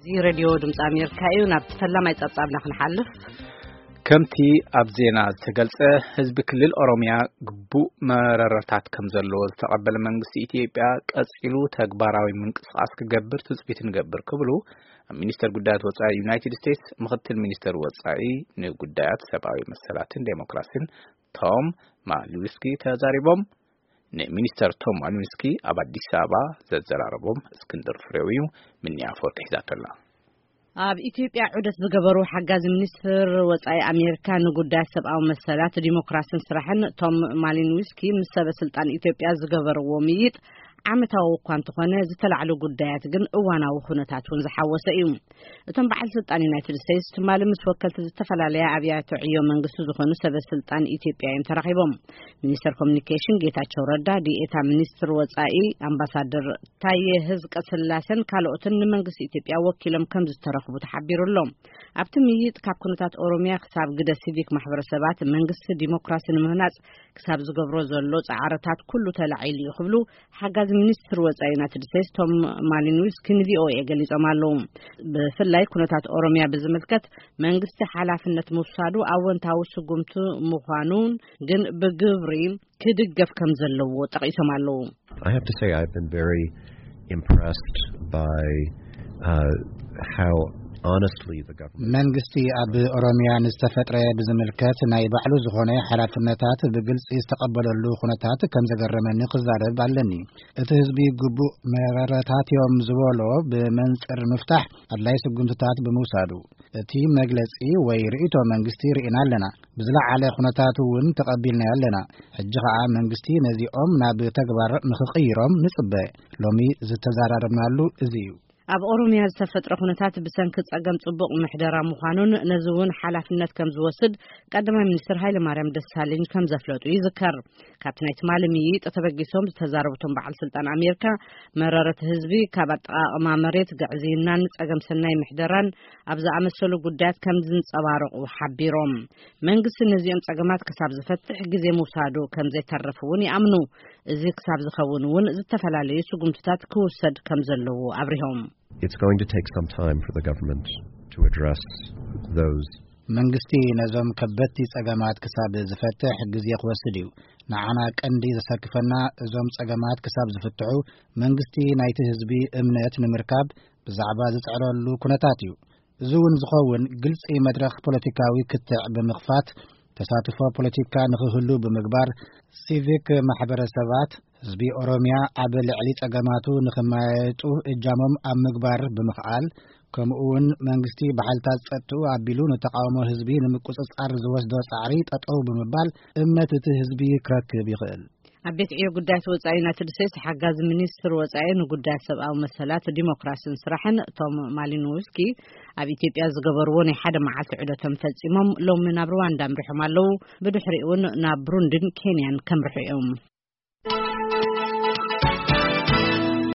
እዚ ሬድዮ ድምፂ ኣሜሪካ እዩ። ናብ ፈላማይ ጸብጻብና ክንሓልፍ። ከምቲ ኣብ ዜና ዝተገልጸ፣ ህዝቢ ክልል ኦሮሚያ ግቡእ መረረታት ከም ዘለዎ ዝተቐበለ መንግስቲ ኢትዮጵያ ቀጺሉ ተግባራዊ ምንቅስቓስ ክገብር ትጽቢት ንገብር ክብሉ ኣብ ሚኒስተር ጉዳያት ወጻኢ ዩናይትድ ስቴትስ ምኽትል ሚኒስተር ወጻኢ ንጉዳያት ሰብኣዊ መሰላትን ዴሞክራሲን ቶም ማሊንስኪ ተዛሪቦም። ንሚኒስተር ቶም ማሊንስኪ ኣብ ኣዲስ ኣበባ ዘዘራረቦም እስክንድር ፍሬው እዩ። ምኒ ኣፈወርቂ ሒዛቶ ኣላ። ኣብ ኢትዮጵያ ዑደት ዝገበሩ ሓጋዚ ሚኒስትር ወጻኢ ኣሜሪካ ንጉዳያት ሰብኣዊ መሰላት፣ ዲሞክራሲን ስራሕን ቶም ማሊንስኪ ምስ ሰበ ስልጣን ኢትዮጵያ ዝገበርዎ ምይይጥ ዓመታዊ እኳ እንተኾነ፣ ዝተላዕሉ ጉዳያት ግን እዋናዊ ኩነታት እውን ዝሓወሰ እዩ። እቶም በዓል ስልጣን ዩናይትድ ስቴትስ ትማሊ ምስ ወከልቲ ዝተፈላለያ ኣብያተ ዕዮ መንግስቲ ዝኾኑ ሰበ ስልጣን ኢትዮጵያ እዮም ተራኺቦም። ሚኒስተር ኮሚኒኬሽን ጌታቸው ረዳ፣ ዲኤታ ሚኒስትር ወጻኢ ኣምባሳደር ታየ ህዝቀ ስላሴን ካልኦትን ንመንግስቲ ኢትዮጵያ ወኪሎም ከም ዝተረኽቡ ተሓቢሩ ኣሎ። ኣብቲ ምይይጥ ካብ ኩነታት ኦሮሚያ ክሳብ ግደ ሲቪክ ማሕበረሰባት፣ መንግስቲ ዲሞክራሲ ንምህናጽ ክሳብ ዝገብሮ ዘሎ ጻዕርታት ኩሉ ተላዒሉ እዩ ክብሉ ሓጋዚ ሚኒስትር ወጻኢ ዩናይትድ ስቴትስ ቶም ማሊንስኪ ንቪኦኤ ገሊጾም ኣለዉ። ብፍላይ ኩነታት ኦሮሚያ ብዝምልከት መንግስቲ ሓላፍነት ምውሳዱ ኣወንታዊ ስጉምቲ ምዃኑን ግን ብግብሪ ክድገፍ ከም ዘለዎ ጠቒሶም ኣለዉ። I have to say I've been very impressed by uh, how honestly the government መንግስቲ ኣብ ኦሮሚያ ንዝተፈጥረ ብዝምልከት ናይ ባዕሉ ዝኾነ ሓላፍነታት ብግልጺ ዝተቐበለሉ ኩነታት ከም ዘገረመኒ ክዛረብ ኣለኒ። እቲ ህዝቢ ግቡእ መረረታት እዮም ዝበሎ ብመንጽር ምፍታሕ ኣድላይ ስጉምትታት ብምውሳዱ፣ እቲ መግለጺ ወይ ርእይቶ መንግስቲ ርኢና ኣለና። ብዝለዓለ ኩነታት እውን ተቐቢልናዮ ኣለና። ሕጂ ኸኣ መንግስቲ ነዚኦም ናብ ተግባር ንኽቕይሮም ንጽበ። ሎሚ ዝተዘራረብናሉ እዚ እዩ። ኣብ ኦሮሚያ ዝተፈጥረ ኩነታት ብሰንኪ ጸገም ጽቡቕ ምሕደራ ምዃኑን ነዚ እውን ሓላፍነት ከም ዝወስድ ቀዳማይ ሚኒስትር ሃይለ ማርያም ደሳለኝ ከም ዘፍለጡ ይዝከር። ካብቲ ናይ ትማሊ ምይይጥ ተበጊሶም ዝተዛረቡ እቶም በዓል ስልጣን ኣሜሪካ፣ መረረት ህዝቢ ካብ ኣጠቓቕማ መሬት፣ ግዕዝይናን ጸገም ሰናይ ምሕደራን ኣብ ዝኣመሰሉ ጉዳያት ከም ዝንጸባረቑ ሓቢሮም። መንግስቲ ነዚኦም ጸገማት ክሳብ ዝፈትሕ ግዜ ምውሳዱ ከም ዘይተርፍ እውን ይኣምኑ። እዚ ክሳብ ዝኸውን እውን ዝተፈላለዩ ስጉምትታት ክውሰድ ከም ዘለዎ ኣብሪሆም። It's going to take some time for the government to address those መንግስቲ ነዞም ከበድቲ ጸገማት ክሳብ ዝፈትሕ ግዜ ክወስድ እዩ። ንዓና ቀንዲ ዘሰክፈና እዞም ጸገማት ክሳብ ዝፍትሑ መንግስቲ ናይቲ ህዝቢ እምነት ንምርካብ ብዛዕባ ዝጽዕረሉ ኩነታት እዩ። እዚ እውን ዝኸውን ግልጺ መድረኽ ፖለቲካዊ ክትዕ ብምኽፋት ተሳትፎ ፖለቲካ ንኽህሉ ብምግባር ሲቪክ ማሕበረሰባት ህዝቢ ኦሮሚያ ኣብ ልዕሊ ጸገማቱ ንኽመያየጡ እጃሞም ኣብ ምግባር ብምኽኣል ከምኡ እውን መንግስቲ ብሓይልታት ጸጥኡ ኣቢሉ ንተቓውሞ ህዝቢ ንምቁጽጻር ዝወስዶ ጻዕሪ ጠጠው ብምባል እምነት እቲ ህዝቢ ክረክብ ይኽእል። ኣብ ቤት ዕዮ ጉዳያት ወጻኢ ዩናይትድ ስቴትስ ሓጋዚ ሚኒስትር ወጻኢ ንጉዳያት ሰብኣዊ መሰላት ዲሞክራሲን ስራሕን ቶም ማሊኖውስኪ ኣብ ኢትዮጵያ ዝገበርዎ ናይ ሓደ መዓልቲ ዑደቶም ፈጺሞም ሎሚ ናብ ሩዋንዳ ኣምሪሖም ኣለዉ። ብድሕሪኡ እውን ናብ ብሩንድን ኬንያን ከምርሑ እዮም።